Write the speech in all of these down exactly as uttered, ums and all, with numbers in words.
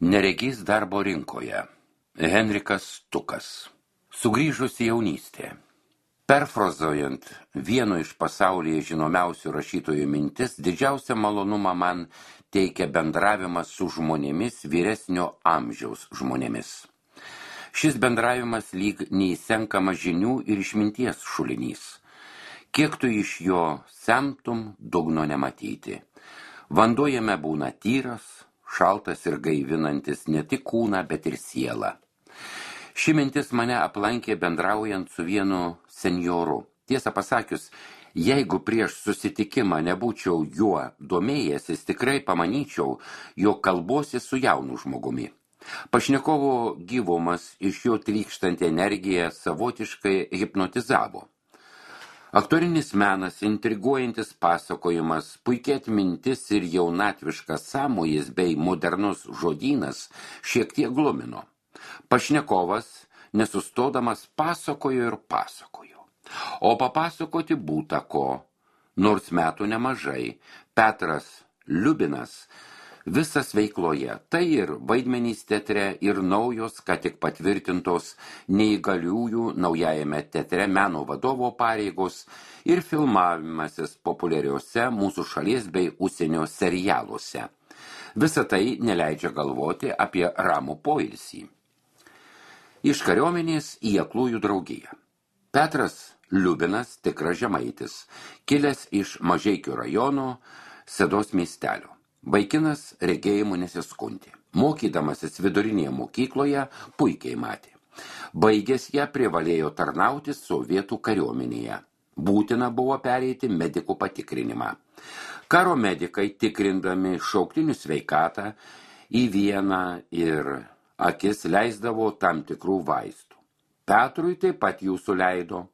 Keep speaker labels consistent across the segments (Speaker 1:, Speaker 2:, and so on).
Speaker 1: Neregys darbo rinkoje. Henrikas Stukas. Sugrįžusi jaunystė. Perfrazuojant vieno iš pasaulyje žinomiausių rašytojų mintis, didžiausią malonumą man teikia bendravimas su žmonėmis vyresnio amžiaus žmonėmis. Šis bendravimas lyg neįsenkama žinių ir išminties šulinys. Kiek tu iš jo semtum, dugno nematyti. Vanduo jame būna tyras, šaltas ir gaivinantis ne tik kūną, bet ir sielą. Ši mintis mane aplankė bendraujant su vienu senjoru. Tiesą pasakius, jeigu prieš susitikimą nebūčiau juo domėjęsis, tikrai pamanyčiau, jog kalbuosi su jaunu žmogumi. Pašnekovo gyvumas iš jo trykštanti energija savotiškai hipnotizavo. Aktorinis menas, intriguojantis pasakojimas, puikiai atmintis ir jaunatviškas sąmojis bei modernus žodynas šiek tiek glumino. Pašnekovas, nesustodamas, pasakojo ir pasakojo. O papasakoti būta ko, nors metų nemažai, Petras Liubinas visas veikloje, tai ir vaidmenys teatre, ir naujos, ką tik patvirtintos neįgaliųjų naujajame teatre meno vadovo pareigos, ir filmavimasis populiariuose mūsų šalies bei užsienio serialuose. Visa tai neleidžia galvoti apie ramų poilsį. Iš kariuomenės į aklųjų draugiją. Petras Liubinas, tikras žemaitis, kilęs iš Mažeikių rajono Sedos miestelio. Vaikinas regėjimu nesiskundė. Mokydamasis vidurinėje mokykloje puikiai matė. Baigęs ją privalėjo tarnauti sovietų kariuomenėje. Būtina buvo pereiti medikų patikrinimą. Karo medikai, tikrindami šauktinių sveikatą, į vieną ir akis leisdavo tam tikrų vaistų. Petrui taip pat jų suleido.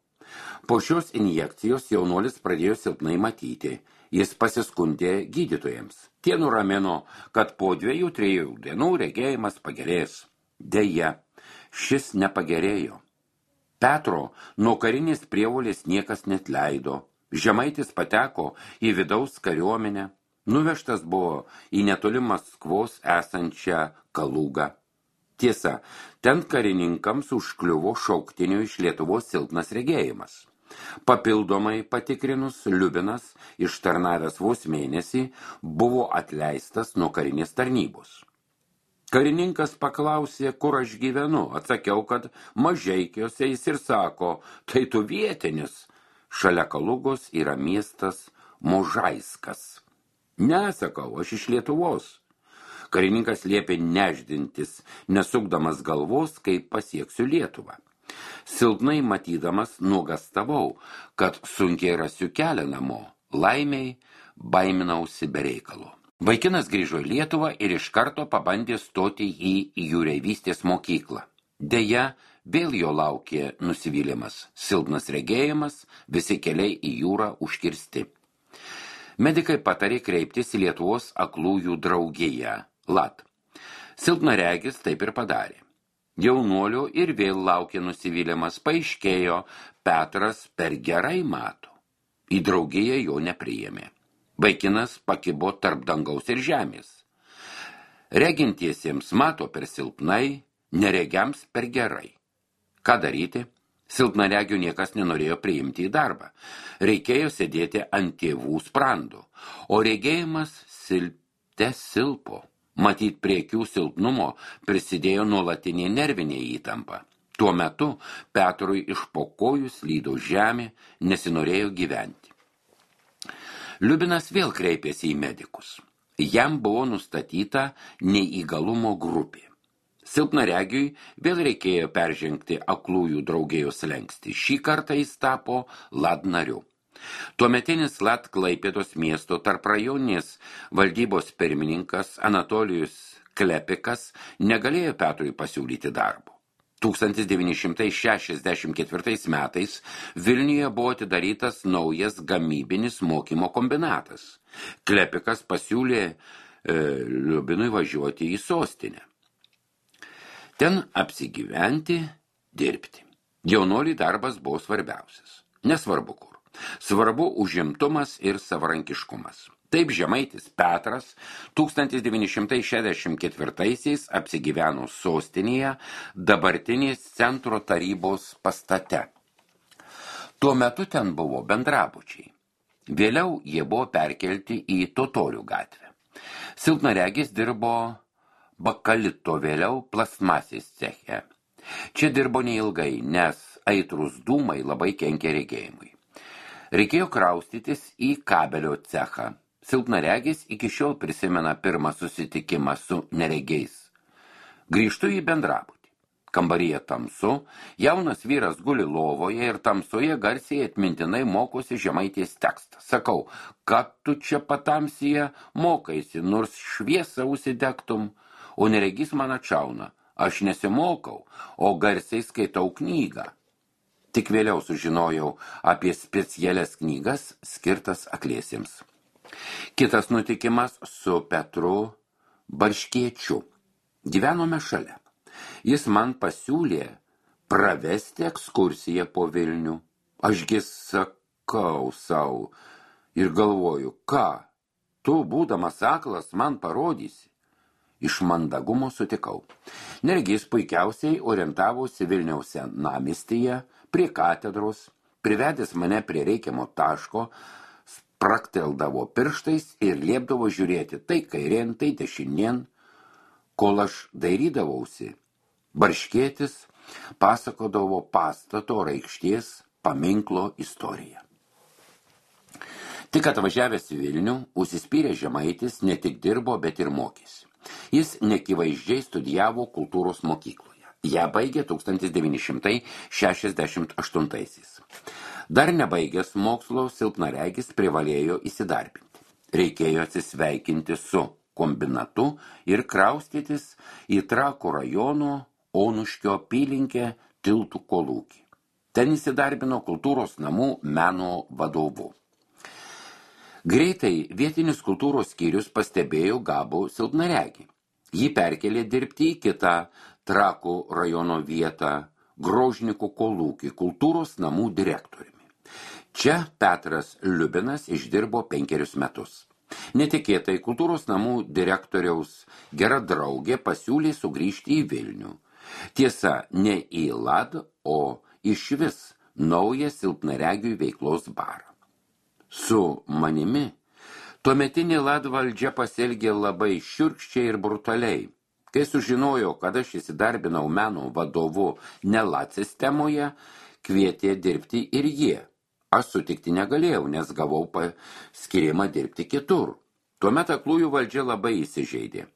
Speaker 1: Po šios injekcijos jaunuolis pradėjo silpnai matyti. Jis pasiskundė gydytojams. Tie nuramino, kad po dviejų, trijų dienų regėjimas pagerės. Deja, šis nepagerėjo. Petro nuo karinės prievolės niekas netleido. Žemaitis pateko į vidaus kariuomenę. Nuvežtas buvo į netoli Maskvos esančią Kalugą. Tiesa, ten karininkams užkliuvo šauktinių iš Lietuvos silpnas regėjimas. Papildomai patikrinus, Liubinas, ištarnavęs vos mėnesį, buvo atleistas nuo karinės tarnybos. Karininkas paklausė, kur aš gyvenu. Atsakiau, kad Mažeikiuose. Jis ir sako, tai tu vietinis. Šalia Kalugos yra miestas Možaiskas. Ne, sakau, aš iš Lietuvos. Karininkas liepė neždintis, nesukdamas galvos, kaip pasieksiu Lietuvą. Silpnai matydamas nuogastavau, kad sunkiai rasiu kelią namo. Laimiai baiminausi be reikalo. Vaikinas grįžo į Lietuvą ir iš karto pabandė stoti į jūreivystės mokyklą. Deja, vėl jo laukė nusivylimas. Silpnas regėjimas, visi keliai į jūrą užkirsti. Medikai patarė kreiptis į Lietuvos aklųjų draugiją, L A D. Silpnaregis taip ir padarė. Jaunuolio ir vėl laukė nusivylimas, paaiškėjo, Petras per gerai mato. Į draugiją jo nepriėmė. Vaikinas pakibo tarp dangaus ir žemės. Regintiesiems mato per silpnai, neregiams per gerai. Ką daryti? Silpnaregių niekas nenorėjo priimti į darbą. Reikėjo sėdėti ant tėvų sprando, o regėjimas silpte silpo. Matyt, prie akių silpnumo prisidėjo nuolatinė nervinė įtampa. Tuo metu Petrui iš po kojų slydo žemė, nesinorėjo gyventi. Liubinas vėl kreipėsi į medikus. Jam buvo nustatyta neįgalumo grupė. Silpnaregiui vėl reikėjo peržengti aklųjų draugijos slenkstį. Šį kartą jis tapo L A D nariu. Tuometinis L A D Klaipėdos miesto tarprajoninės valdybos pirmininkas Anatolijus Klepikas negalėjo Petrui pasiūlyti darbo. tūkstantis devyni šimtai šešiasdešimt ketvirtais metais Vilniuje buvo atidarytas naujas gamybinis mokymo kombinatas. Klepikas pasiūlė e, Liubinui važiuoti į sostinę. Ten apsigyventi, dirbti. Jaunuoliui darbas buvo svarbiausias. Nesvarbu kur. Svarbu užimtumas ir savarankiškumas. Taip žemaitis Petras tūkstantis devyni šimtai šešiasdešimt ketvirtaisiais apsigyveno sostinėje, dabartinės centro tarybos pastate. Tuo metu ten buvo bendrabučiai. Vėliau jie buvo perkelti į Totorių gatvę. Silpnaregis dirbo bakalito, vėliau plastmasės ceche. Čia dirbo neilgai, nes aitrus dūmai labai kenkė regėjimui. Reikėjo kraustytis į kabelio cechą. Silpnaregis iki šiol prisimena pirmą susitikimą su neregiais. Grįžtu į bendrabutį. Kambaryje tamsu, jaunas vyras guli lovoje ir tamsoje garsiai atmintinai mokosi žemaitės tekstą. Sakau, kad tu čia patamsyje mokaisi, nors šviesą užsidegtum, o neregys man atšauna. Aš nesimokau, o garsiai skaitau knygą. Tik vėliau sužinojau apie specialias knygas skirtas akliesiems. Kitas nutikimas su Petru Barškiečiu. Gyvenome šalia. Jis man pasiūlė pravesti ekskursiją po Vilnių. Ašgi sakau sau ir galvoju, ką, tu, būdamas aklas, man parodysi. Iš mandagumo sutikau. Neregys puikiausiai orientavosi Vilniaus senamiestyje, prie katedros, privedęs mane prie reikiamo taško, sprakteldavo pirštais ir liepdavo žiūrėti tai kairien, tai dešinien. Kol aš dairydavausi, Barškietis pasakodavo pastato raikšties paminklo istoriją. Tik atvažiavęs į Vilnių, užsispyrė žemaitis ne tik dirbo, bet ir mokėsi. Jis nekivaizdžiai studijavo kultūros mokykloje. Ją baigė tūkstantis devyni šimtai šešiasdešimt aštuntaisiais. Dar nebaigęs mokslo, silpnaregis privalėjo įsidarbinti. Reikėjo atsisveikinti su kombinatu ir kraustytis į Trakų rajono Onuškio apylinkę Tiltų kolūkį. Ten įsidarbino kultūros namų meno vadovu. Greitai vietinis kultūros skyrius pastebėjo gabų silpnaregį. Jį perkelė dirbti į kitą Trakų rajono vietą, Grožnikų kolūkį, kultūros namų direktoriumi. Čia Petras Liubinas išdirbo penkerius metus. Netikėtai kultūros namų direktoriaus gera draugė pasiūlė sugrįžti į Vilnių. Tiesa, ne į Lad, o išvis naują silpnaregių veiklos barą. Su manimi tuometinė Lad valdžia pasielgė labai šiurkščiai ir brutaliai. Kai sužinojo, kad aš įsidarbinau meno vadovu ne Lad sistemoje, kvietė dirbti ir jie. Aš sutikti negalėjau, nes gavau paskirimą dirbti kitur. Tuomet aklųjų valdžia labai įsižeidė.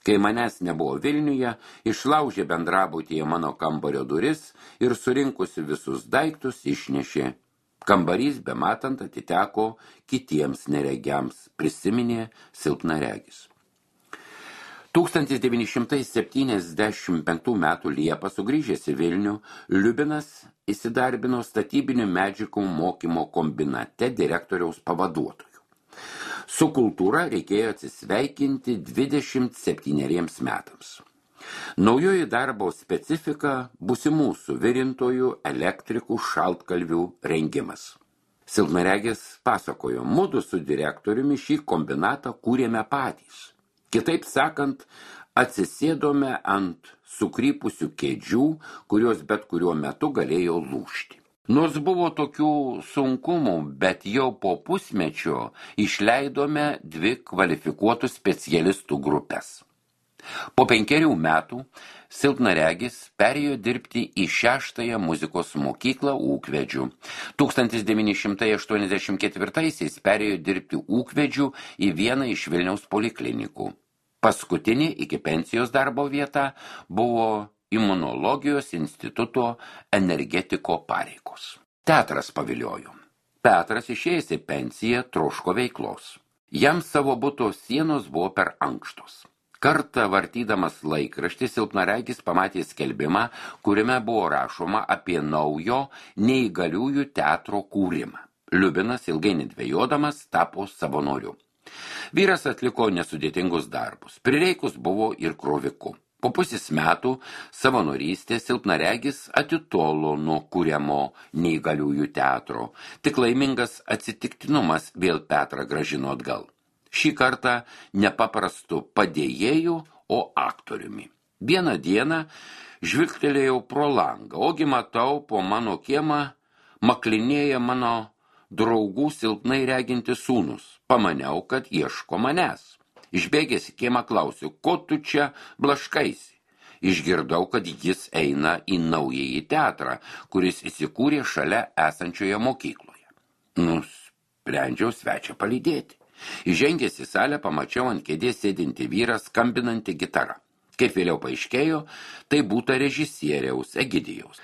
Speaker 1: Kai manęs nebuvo Vilniuje, išlaužė bendrabutyje mano kambario duris ir surinkusi visus daiktus išnešė. Kambarys bematant atiteko kitiems neregiams, prisiminė silpnaregis. tūkstantis devyni šimtai septyniasdešimt penktų metų Liepą sugrįžęs į Vilnių, Liubinas įsidarbino statybinių medžiagų mokymo kombinate direktoriaus pavaduotojų. Su kultūra reikėjo atsisveikinti dvidešimt septyneriems metams. Naujoji darbo specifika būsimų suvirintojų, elektrikų, šaltkalvių rengimas. Silpnaregis pasakojo, mudu su direktoriumi šį kombinatą kūrėme patys. Kitaip sakant, atsisėdome ant sukrypusių kėdžių, kurios bet kuriuo metu galėjo lūžti. Nors buvo tokių sunkumų, bet jau po pusmečio išleidome dvi kvalifikuotų specialistų grupės. Po penkerių metų silpnaregis perėjo dirbti į šeštąją muzikos mokyklą Ūkvedžių. tūkstantis devyni šimtai aštuoniasdešimt ketvirtaisiais perėjo dirbti Ūkvedžių į vieną iš Vilniaus poliklinikų. Paskutinė iki pensijos darbo vieta buvo Imunologijos instituto energetiko pareigos. Teatras paviliojo. Petras išėjęs į pensiją troško veiklos. Jam savo buto sienos buvo per ankštos. Kartą vartydamas laikraštį silpnaregis pamatė skelbimą, kuriame buvo rašoma apie naujo neįgaliųjų teatro kūrimą. Liubinas ilgai nedvejodamas tapo savanoriu. Vyras atliko nesudėtingus darbus. Prireikus buvo ir kroviku. Po pusės metų savanorystės silpnaregis atitolo nuo kuriamo neįgaliųjų teatro. Tik laimingas atsitiktinumas vėl Petrą grąžino atgal. Šį kartą nepaprastu padėjėju, o aktoriumi. Vieną dieną žvilgtelėjau pro langą, ogi matau po mano kiemą maklinėja mano draugų silpnai reginti sūnus. Pamaniau, kad ieško manęs. Išbėgęs į kiemą klausiu, ko tu čia blaškaisi? Išgirdau, kad jis eina į naująjį teatrą, kuris įsikūrė šalia esančioje mokykloje. Nusprendžiau svečią palydėti. Įžengęs į salę pamačiau ant kėdės sėdinti vyrą skambinantį gitarą. Kaip vėliau paaiškėjo, tai būta režisieriaus Egidijaus.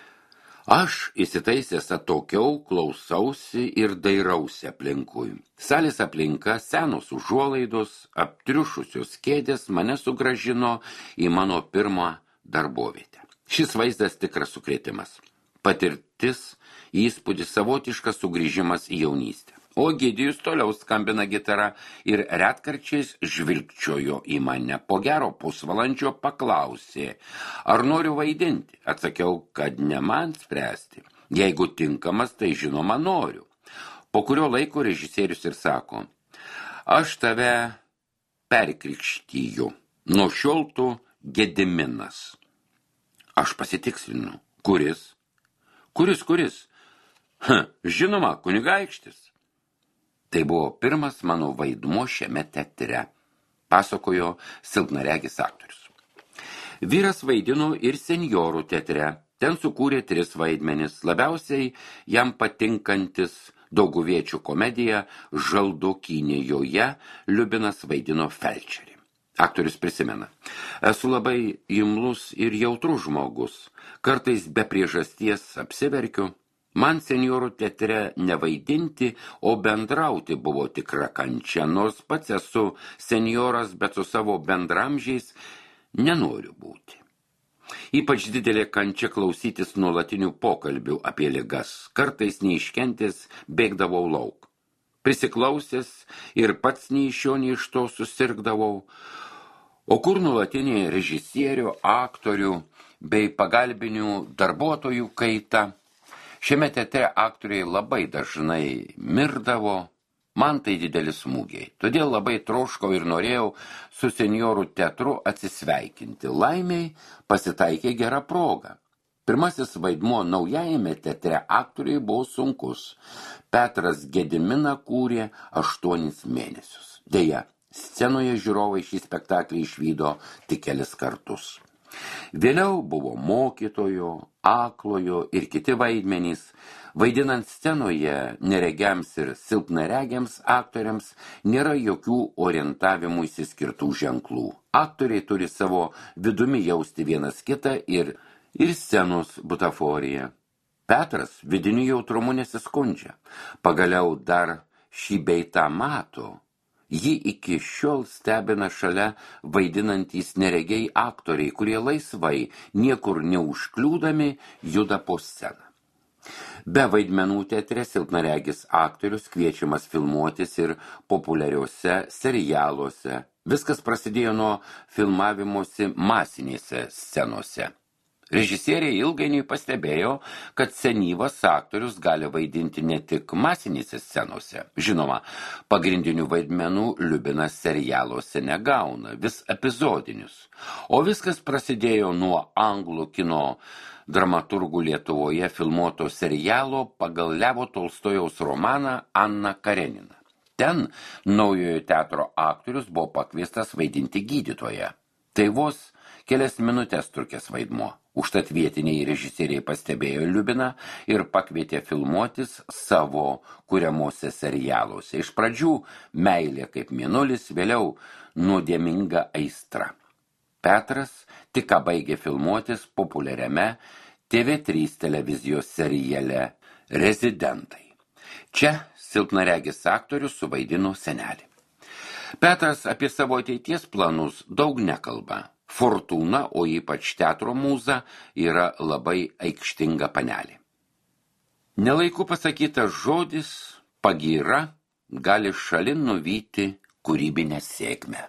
Speaker 1: Aš įsitaisęs atokiau, klausausi ir dairausi aplinkui. Salės aplinka, senos užuolaidos, aptriušusios kėdės mane sugrąžino į mano pirmą darbovietę. Šis vaizdas tikras sukrėtimas. Patirtis, įspūdis, savotiškas sugrįžimas į jaunystę. O Egidijus toliau skambina gitarą ir retkarčiais žvilgčiojo į mane. Po gero pusvalandžio paklausė, ar noriu vaidinti. Atsakiau, kad ne man spręsti. Jeigu tinkamas, tai žinoma noriu. Po kurio laiko režisierius ir sako, aš tave perkrikštyju. Nuo šiol tu Gediminas. Aš pasitikslinu. Kuris? Kuris, kuris? Ha, žinoma, kunigaikštis. Tai buvo pirmas mano vaidmuo šiame teatre, pasakojo silpnaregis aktorius. Vyras vaidino ir senjorų teatre. Ten sukūrė tris vaidmenis. Labiausiai jam patinkantis dauguviečių komedija Žaldokynė, joje Liubinas vaidino felčerį. Aktorius prisimena. Esu labai imlus ir jautrus žmogus. Kartais be priežasties apsiverkiu. Man senjorų teatre nevaidinti, o bendrauti buvo tikra kančia, nors pats esu senjoras, bet su savo bendramžiais nenoriu būti. Ypač didelė kančia klausytis nuolatinių pokalbių apie ligas. Kartais neiškentęs bėgdavau lauk. Prisiklausęs ir pats nei iš jo, nei iš to susirgdavau. O kur nuolatinė režisierių, aktorių bei pagalbinių darbuotojų kaita? Šiame teatre aktoriai labai dažnai mirdavo, man tai didelis smūgiai. Todėl labai troškau ir norėjau su senjorų teatru atsisveikinti. Laimiai pasitaikė gera proga. Pirmasis vaidmuo naujajame teatre aktoriai buvo sunkus. Petras Gediminą kūrė aštuonis mėnesius. Deja, scenoje žiūrovai šį spektaklį išvydo tik kelis kartus. Vėliau buvo mokytojo, aklojo ir kiti vaidmenys. Vaidinant scenoje neregiams ir silpnaregiams aktoriams nėra jokių orientavimų įsiskirtų ženklų. Aktoriai turi savo vidumi jausti vienas kitą ir, ir scenos butaforiją. Petras vidiniu jautrumu nesiskundžia. Pagaliau dar šį bei tą mato. Jį iki šiol stebina šalia vaidinantys neregiai aktoriai, kurie laisvai, niekur neužkliūdami, juda po sceną. Be vaidmenų teatre silpnaregis aktorius kviečiamas filmuotis ir populiariuose serialuose. Viskas prasidėjo nuo filmavimosi masinėse scenose. Režisieriai ilgainiui pastebėjo, kad senyvas aktorius gali vaidinti ne tik masinėse scenose. Žinoma, pagrindinių vaidmenų Liubinas serialuose negauna, vis epizodinius. O viskas prasidėjo nuo anglų kino dramaturgų Lietuvoje filmuoto serialo pagal Levo Tolstojaus romaną Anna Karenina. Ten naujojo teatro aktorius buvo pakviestas vaidinti gydytoją. Tai vos kelias minutės trukęs vaidmuo. Užtat vietiniai režisieriai pastebėjo Liubiną ir pakvietė filmuotis savo kuriamuose serialuose. Iš pradžių meilė kaip mėnulis, vėliau nuodėminga aistra. Petras tik ką baigė filmuotis populiariame T V trys televizijos seriale Rezidentai. Čia silpnaregis aktorius suvaidino senelį. Petras apie savo ateities planus daug nekalba. Fortūna, o ypač teatro mūza, yra labai aikštinga panelė. Nelaiku pasakytas žodis, pagyra, gali šalin nuvyti kūrybinę sėkmę.